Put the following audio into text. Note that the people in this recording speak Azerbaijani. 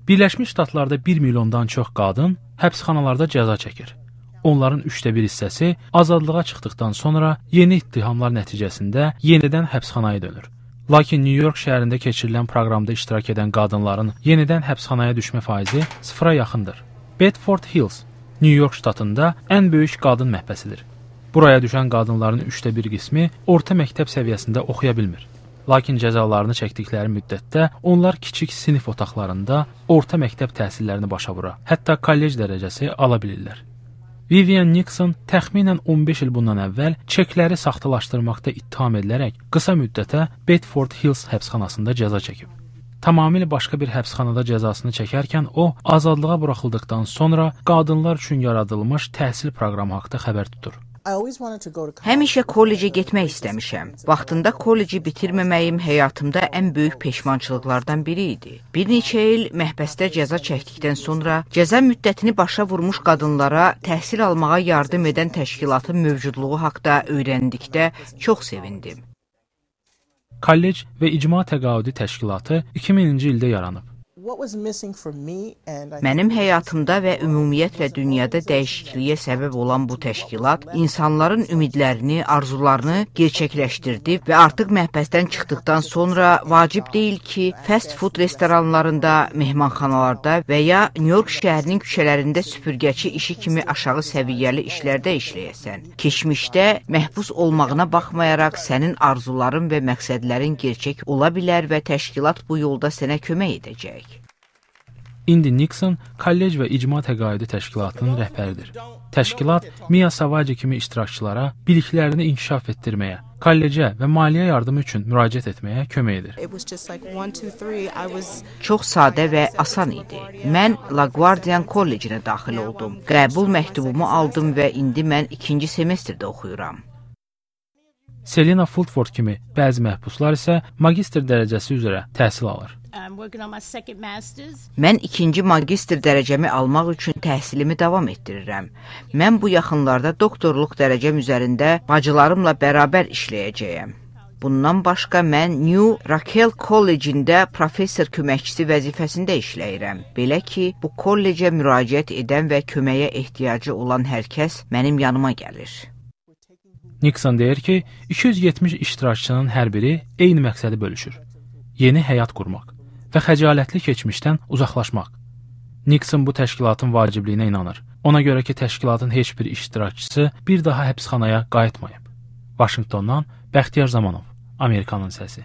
Birləşmiş Ştatlarda 1 milyondan çox qadın həbsxanalarda cəza çəkir. Onların 1/3 hissəsi azadlığa çıxdıqdan sonra yeni ittihamlar nəticəsində yenidən həbsxanaya dönür. Lakin New York şəhərində keçirilən proqramda iştirak edən qadınların yenidən həbsxanaya düşmə faizi 0-a yaxındır. Bedford Hills, New York ştatında ən böyük qadın məhbəsidir. Buraya düşən qadınların 1/3 qismi orta məktəb səviyyəsində oxuya bilmir. Lakin cəzalarını çəkdikləri müddətdə onlar kiçik sinif otaqlarında orta məktəb təhsillərini başa vura, hətta kollec dərəcəsi ala bilirlər. Vivian Nixon təxminən 15 il bundan əvvəl çekləri saxtalaşdırmaqda ittiham edilərək qısa müddətə Bedford Hills həbsxanasında cəza çəkib. Tamamilə başqa bir həbsxanada cəzasını çəkərkən o, azadlığa buraxıldıqdan sonra qadınlar üçün yaradılmış təhsil proqramı haqqında xəbər tutur. Həmişə kollecə getmək istəmişəm. Vaxtında kolleci bitirməməyim həyatımda ən böyük peşmançılıqlardan biri idi. Bir neçə il məhbəsdə cəza çəkdikdən sonra cəza müddətini başa vurmuş qadınlara təhsil almağa yardım edən təşkilatın mövcudluğu haqqında öyrəndikdə çox sevindim. Kollec və İcma Təqaüdü Təşkilatı 2000-ci ildə yaranıb. Mənim həyatımda və ümumiyyətlə dünyada dəyişikliyə səbəb olan bu təşkilat insanların ümidlərini, arzularını gerçəkləşdirdi və artıq məhbəsdən çıxdıqdan sonra vacib deyil ki, fast food restoranlarında, mehmanxanalarda və ya New York şəhərinin küçələrində süpürgəçi işi kimi aşağı səviyyəli işlərdə işləyəsən. Keçmişdə məhbus olmağına baxmayaraq sənin arzuların və məqsədlərin gerçək ola bilər və təşkilat bu yolda sənə kömək edəcək. İndi Nixon kollec və İcma Təqaüdü Təşkilatının rəhbəridir. Təşkilat Mia Savage kimi iştirakçılara biliklərini inkişaf etdirməyə, kollecə və maliyyə yardımı üçün müraciət etməyə kömək edir. Çox sadə və asan idi. Mən LaGuardia Kollecinə daxil oldum. Qəbul məktubumu aldım və indi mən 2-ci semestrdə oxuyuram. Selena Fulford kimi bəzi məhbuslar isə magistr dərəcəsi üzrə təhsil alır. Mən 2-ci magistr dərəcəmi almaq üçün təhsilimi davam etdirirəm. Mən bu yaxınlarda doktorluq dərəcəm üzərində bacılarımla bərabər işləyəcəyəm. Bundan başqa mən New Raquel Kollecində professor köməkçisi vəzifəsində işləyirəm. Belə ki, bu kollecə müraciət edən və köməyə ehtiyacı olan hər kəs mənim yanıma gəlir. Nixon deyir ki, 270 iştirakçının hər biri eyni məqsədi bölüşür. Yeni həyat qurmaq və xəcalətli keçmişdən uzaqlaşmaq. Nixon bu təşkilatın vacibliyinə inanır. Ona görə ki, təşkilatın heç bir iştirakçısı bir daha həbsxanaya qayıtmayıb. Vaşinqtondan Bəxtiyar Zamanov, Amerikanın səsi.